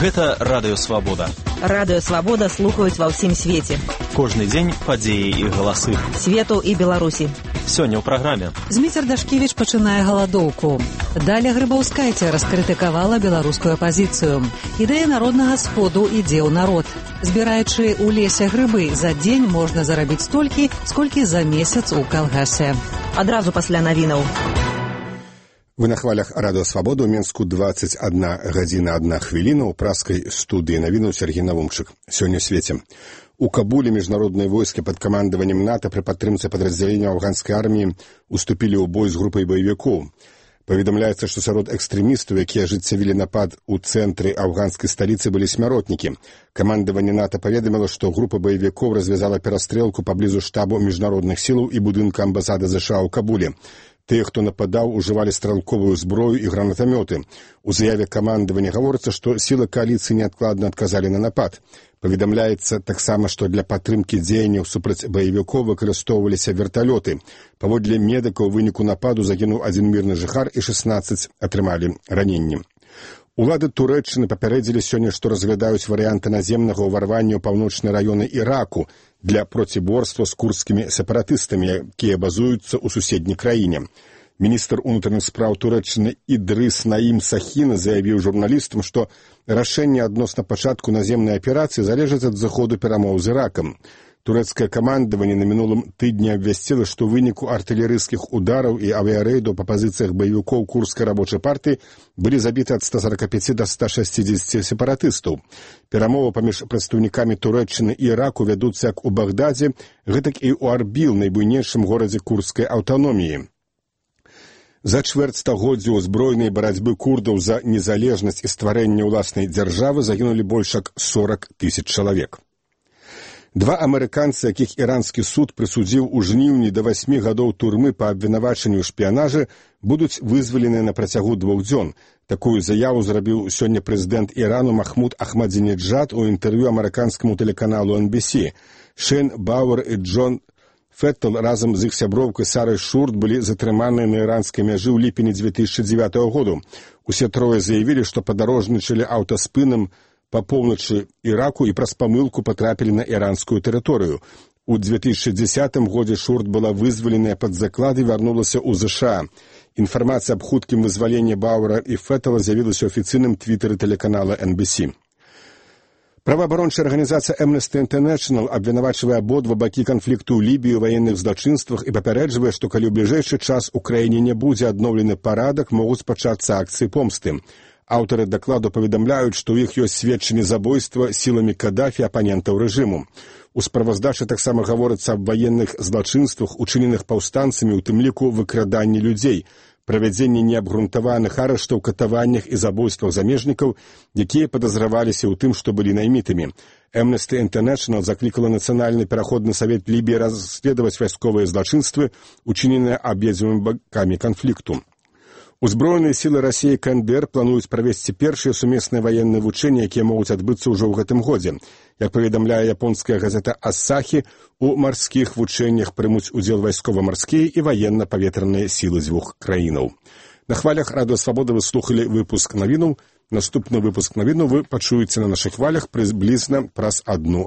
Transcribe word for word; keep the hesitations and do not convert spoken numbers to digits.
Гэта Радыё Свабода. Радыё Свабода слухаюць ва ўсім свеце. Кожны дзень падзеі і галасы. Свету і Беларусі. Сёння ў праграме. Зміцер Дашкевіч пачынае галадоўку. Даля Грыбаўскайця раскрытыкавала беларускую апазіцыю. Ідэя народнага сходу ідзе ў народ. Збіраючы ў лесе грыбы, за дзень можна зарабіць столькі, сколькі за месяц у калгасе. Адразу пасля навінаў. Вы на хвалях Радыё Свабода, у Менску двадцать одна гадзіна одна хвіліна, у праскай студыі навінаў Сергей Навумчык. Сёння ў свеце. У Кабуле міжнародныя войскі пад камандаваннем НАТО пры падтрымцы падраздзялення афганскай арміі уступілі ў бой з групай баевікоў. Паведамляецца, што сярод экстрэмістаў, якія ажыццявілі напад у цэнтры афганскай сталіцы, былі смяротнікі. Камандаванне НАТО паведаміла, што група баевікоў развязала перастрэлку паблізу штабу міжнародных сілаў і будынка амбасады ЗША ў Кабуле. Тыя, хто нападаў, ужывалі стралковую зброю і гранатамёты. У заяве камандавання гаворыцца, што сілы кааліцыі неадкладна адказалі на напад. Паведамляецца таксама, што для падтрымкі дзеянняў супраць баевікоў выкарыстоўваліся верталёты. Паводле медыкаў, у выніку нападу загінуў адзін мірны жыхар і шаснаццаць атрымалі раненні. Улады Турэччыны папярэдзілі сёння, што разглядаюць варыянты наземнага ўварвання ў паўночныя раёны Іраку для проціборства з курдскімі сепаратыстамі, якія базуюцца ў суседняй краіне. Міністр унутраных спраў Турэччыны Ідрыс Наім Сахін заявіў журналістам, што рашэнне адносна пачатку наземнай аперацыі залежыць ад заходу перамоў з Іракам. Турэцкае камандаванне на мінулым тыдні абвясціла, што ў выніку артылерыйскіх удараў і авіярэйдаў па пазіцыях баевікоў курдскай рабочай партыі былі забіты ад ста сорока пяти да ста шестидесяти сепаратыстаў. Перамовы паміж прадстаўнікамі Турэччыны і Іраку вядуцца як у Багдадзе, гэтак і ў Арбіл, найбуйнейшым горадзе курдскай аўтаноміі. За чвэрць стагоддзя ў збройнай барацьбы курдаў за незалежнасць і стварэнне ўласнай дзяржавы загінулі больш як сорок тысяч чалавек. Два амерыканцы, якіх іранскі суд прысудзіў у жніўні да васьмі гадоў турмы па абвінавачанню ў шпіянажы, будуць вызваленыя на працягу двух дзён. Такую заяву зрабіў сёння прэзідэнт Ірану Махмуд Ахмадзінеджад у інтэрв'ю амерыканскаму тэлеканалу эн би си. Шейн Бауэр і Джон Феттл разам з іх сяброўкай Сарай Шурт былі затрыманыя на іранскай мяжы ў ліпені две тысячи дзевятого году. Усе трое заявілі, што падарожнічалі аўтаспынам па поўначы Іраку і праз памылку патрапілі на іранскую тэрыторыю. У две тысячи дзесятым годзе Шурт была вызваленая пад заклад і вярнулася ў ЗША. Інфармацыя аб хуткім вызваленні Бауэра і Феттла з'явілася ў афіцыйным твітары тэлеканала эн би си. Праваабарончая арганізацыя Amnesty International абвінавачвае абодва бакі канфлікту ў Лібіі ў ваенных злачынствах і папярэджвае, што калі ў бліжэйшы час у краіне не будзе адноўлены парадак, могуць пачацца акцыі помсты. Аўтары дакладу паведамляюць, што ў іх ёсць сведчанні забойства сіламі Кадафі апанентаў рэжыму. У справаздачы таксама гаворыцца аб ваенных злачынствах, учыненых паўстанцамі, у тым ліку выкраданні людзей, правядзенні неабгрунтаваных арыштаў, катаваннях і забойствах замежнікаў, якія падазраваліся ў тым, што былі наймітамі. Amnesty International заклікала Нацыянальны пераходны савет Лібіі расследаваць вайсковыя злачынствы, учыненыя абедзвюмі бакамі канфлікту. Узброеныя сілы Расіі і КНДР плануюць правесці першыя сумесныя ваенныя вучэнні, якія могуць адбыцца ўжо ў гэтым годзе. Як паведамляе японская газета «Асахі», у марскіх вучэннях прымуць удзел вайскова-марскія і ваенна-паветраныя сілы дзвюх краінаў. На хвалях Радыё Свабода вы слухалі выпуск навінаў. Наступны выпуск навінаў вы пачуеце на нашых хвалях прыблізна праз одну